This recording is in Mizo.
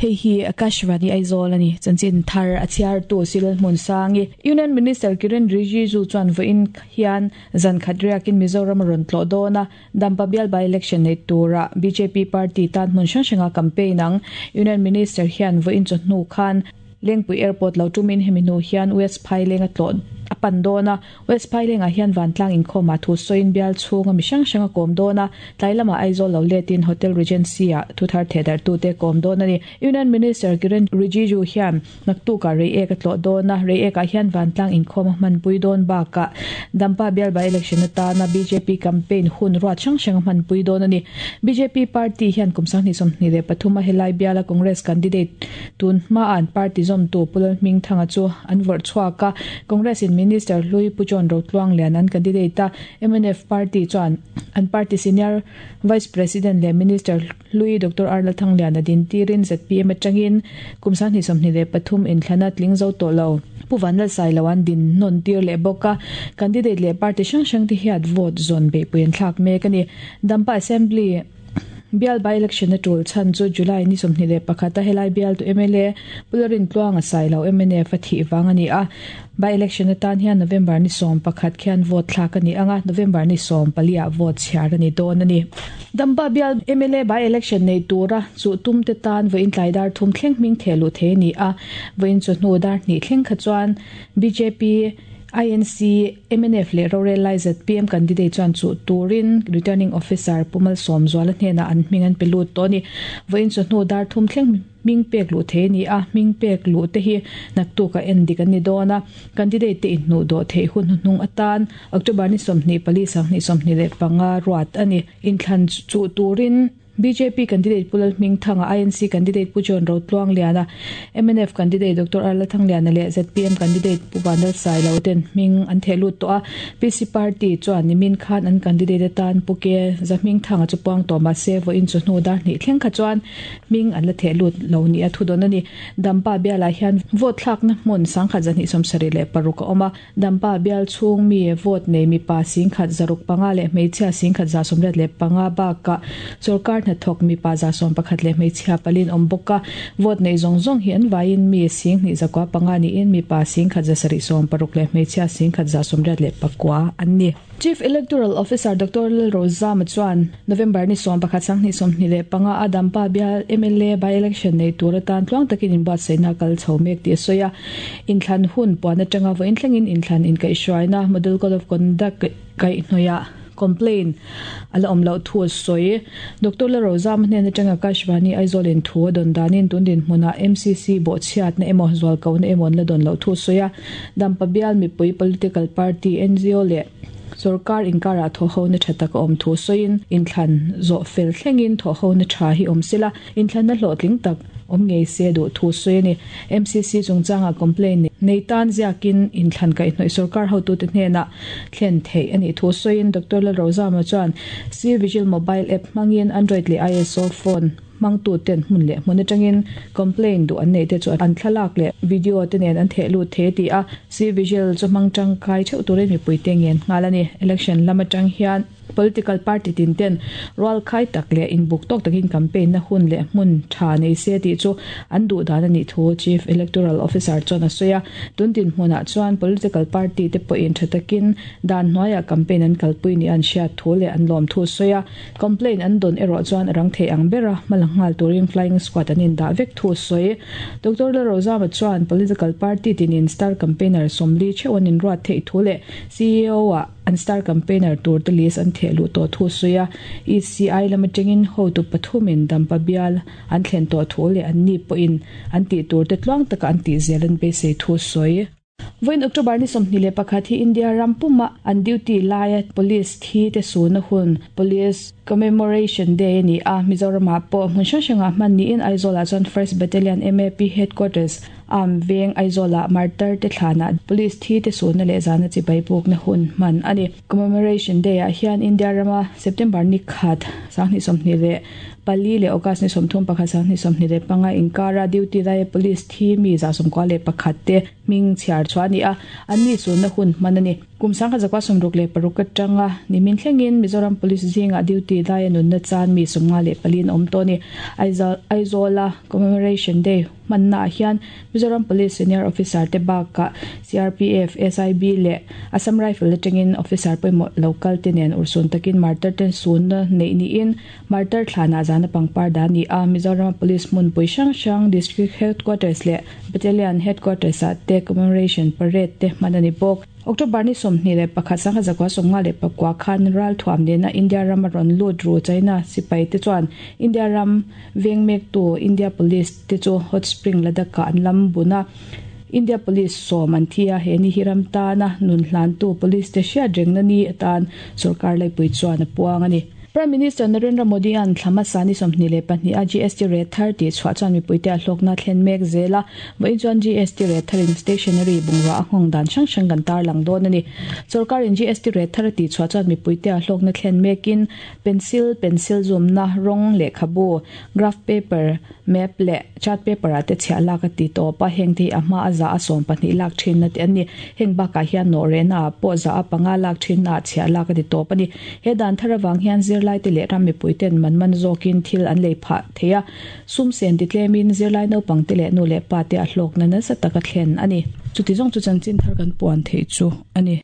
Hei hi Akashvani Aizawl a ni. Chanchin thar a chhiartu Silal Hmunsangi. Union Minister Kiren Rijiju chuan vawiin hian zan khat riakin Mizoram a rawn tlawh dawn a, Dampa bial by-election nei tura bjp party tan hmun hrang hranga campaign ang. Union Minister hian vawiin chawhnu khan Lengpui Airport lo tumin hemi hnu hian West Phaileng a tlawh a pan dawn a. West Phailengah hian vantlang inkhawmah thu sawiin bial chhunga mi hrang hrang a kawm dawn a, tlai lamah Aizawl lo letin Hotel Regency-ah thuthar thehdarhtute kawm dawn a ni. Union Minister Kiren Rijiju hian naktukah Reiek a tlawh dawn a, Reiekah hian vantlang inkhawm a hmanpui dawn bakah Dampa bial by-election atana bjp campaign hun ruat hrang hrang a hmanpui dawn a ni. Bjp party hian kum 2023 a helai biala Congress candidate tun hmaa an party zawmtu Pu Lalhmingthanga chu an vawrh chhuak a, Congress in Minister hlui Pu John Rotluanglian an candidate a, mnf party chuan an party senior Vice President leh Minister hlui Doctor R Lalthangliana din tirin zpm atangin kum 2023 inthlana tling zo tawh lo Pu Vanlalsailo an din nawn tir leh bawk a, candidate leh party hrang hrang te hian vote zawn beihpui an thlak mek a ni. Dampa Assembly. Bial by-election a tul chhan chu July ni 21 a helai bialtu mla Pu Lalrintluanga Sailo mnf a thih vang a ni a. By-election atan hian November ni 11 khian vote thlak a ni ang a, November ni 14 ah vote chhiar a ni dawn a ni. Dampa bial mla by-election nei tura chuh tum te tan vawiin tlai dar thum thleng hming theh luh thei a ni a, vawiin chawhnu dar hnih thleng kha chuan bjp, INC, mnf leh rorel lai zpm candidate chuan chuh turin Returning Officer Pu Malsawmzuala hnenah an hming an pe lut tawh a ni. Vawiin chawhnu dar thum thleng hming pek luh thei a ni a, hming pek luh te hi naktukah en dik an ni dawn a. Candidate te inhnuh dawh theih hun hnuhnung atan October ni 24 2025 ruat a ni. Inthlan chuh turin. Bjp candidate Pu Lalhmingthanga, INC candidate Pu John Rotluangliana, mnf candidate Doctor R Lalthangliana leh zpm candidate Pu Vanlal Sailo ten hming an theh lut tawh a. PC party chuan nimin khan an candidate atan Pu Ke Zahmingthanga chu puang tawh mah se vawiin chu hnu dar hnih thleng kha chuan hming an la theh lut lo nia thu dawn a ni. Dampa bialah hian vote thlakna hmun 1276 a awm a. Dampa bial chhung mi vote nei mipa 1065 leh hmeichhia 1185 bakah sorkar hnathawk mipa 11 leh hmeichhia palin awm bawk a. Vote nei zawng zawng hi an vaiin mi 2905 niin mipa 1176 leh hmeichhia 1189 an ni. Chief Electoral Officer Doctor Lalrozama chuan November ni 11 2025 a Dampa bial mla by-election nei tur atan tluang takin inbuatsaihna a kal chho mek tih a sawi a. Inthlan hun puan atanga vawiin thlengin inthlan inkaihhruaina Model Code of Conduct kaihhnawihah complaint a la awm loh thu a sawi. Doctor Lalrozama hnen atanga Akashvani Aizawl-in thu a dawn danin tun dinhmunah MCC bawhchhiatna emaw zualkohna emaw an la dawn loh thu a sawi a. Dampa bial mipui political party, ngo leh sorkar inkarah thawhhona tha tak a awm thu sawiin inthlan zawh fel thlengin thawhhona tha hi awm sela, inthlanna hlawhtling tak awm ngei se duh thu sawi a ni. MCC chungchangah complaint nei tan ziakin inthlan kaihhnawih sorkar hotute hnenah thlen theih a nih thu sawiin Doctor Lalrozama chuan C-Vigil mobile app hmangin Android leh ISO phone Hmangtuten hmun leh hmun atangin complaint duh an neih te chu an thlalak leh video te nen an theh lut thei a ti a, C-Vigil chu hmang tangkai theuh turin mipuite ngen nghal a ni. Election lam atang hian political party tin ten rualkhai tak leh inbuk tawk takin campaign na hun leh hmun tha nei se tih chu an duh dan a nih thu Chief Electoral Officer chuan a sawi a. Tun dinhmunah chuan political party te pawhin tha takin dan hnuaiah campaign an kalpui nih an hriat thu leh an lawm thu a sawi a. Complaint an dawn erawh chuan a rang thei ang bera hma la nghal turin flying squad an indah vek thu a sawi. Doctor Lalrozama chuan political party tinin star campaigner 40 theuh an inruat theih thu leh CEO ah an star campaigner tur te list an theh luh tawh thu a sawi a. ECI lam atangin hotu pathumin Dampa bial an thlen tawh thu leh anni pawhin an tih tur te tluang taka an tih zel an beisei thu a sawi. Vawiin October ni 21 hi India ram puma an duty laia Police thi te suna hun, Police Commemoration Day a ni a. Mizoramah pawh hmun hrang hrangah hman niin Aizawlah chuan First Battalion MAP Headquarters Armed Veng Aizawlah Martar te thlanah Police thi te sunna leh zana chibai pukna hun hman a ni. Commemoration Day ah hian India rama September ni khat 2024 leh August ni 31 2025 inkara duty laia Police thi mi 91 te hming chhiar chhuah a ni a, an ni sunna hun hman a ni. Kum 1966 atanga nimin thlengin Mizoram Police zingah duty laia nunna chan mi 54 an awm tawh a ni. Aizawla Commemoration Day hmannaah hian Mizoram Police Senior Officer te bakah CRPF, SIB leh Assam Rifle atangin officer pawimawh lo kal te nen urhsun takin martar ten sunna neih niin martar thlanah zana pangpar dah a ni a. Mizorama Police hmunpui hrang hrang District Headquarters leh Battalion Headquarters ah te Commemoration Parade te hman a ni bawk. October ni 21 1954 khan ralthuam nena India rama rawn lut ru China sipai te chuan India ram veng mektu India Police te chu Hot Spring Ladakh-ah an lam bun a, India Police sawm an thi a, he ni hi ram tana nun hlantu Police te hriat rengna ni atan sorkar laipui chuan a puang a ni. Prime Minister Narendra Modi-a'n thla hmasa ni 22 a GST rate thar tih chhuah chuan mipuite a hlawkna thlen mek zel a, vawiin chuan GST rate tharin stationery bungrua a nghawng dan hrang hrang kan tarlang dawn a ni. Sorkarin GST rate thar a tih chhuah chuan mipuite a hlawkna thlen mekin pencil, pencil zumna, rawng, lehkhabu, graph paper, map leh chart paper ah te chhiah lak a ti tawp a, heng te hi a hma a za a 12 lak thinna te an ni. Heng bakah hian nawh rehna ah pawh za a panga lak thinna ah chhiah lak a ti tawp a ni. He dan thar avang hian zirlai te leh ram mipui ten man man zawkin thil an lei phah thei a, sum sen ti tlemin zirlai naupang te leh nu leh pa te a hlawkna nasa taka thlen a ni. Chuti zawng chu chanchin thar kan puan theih chu a ni.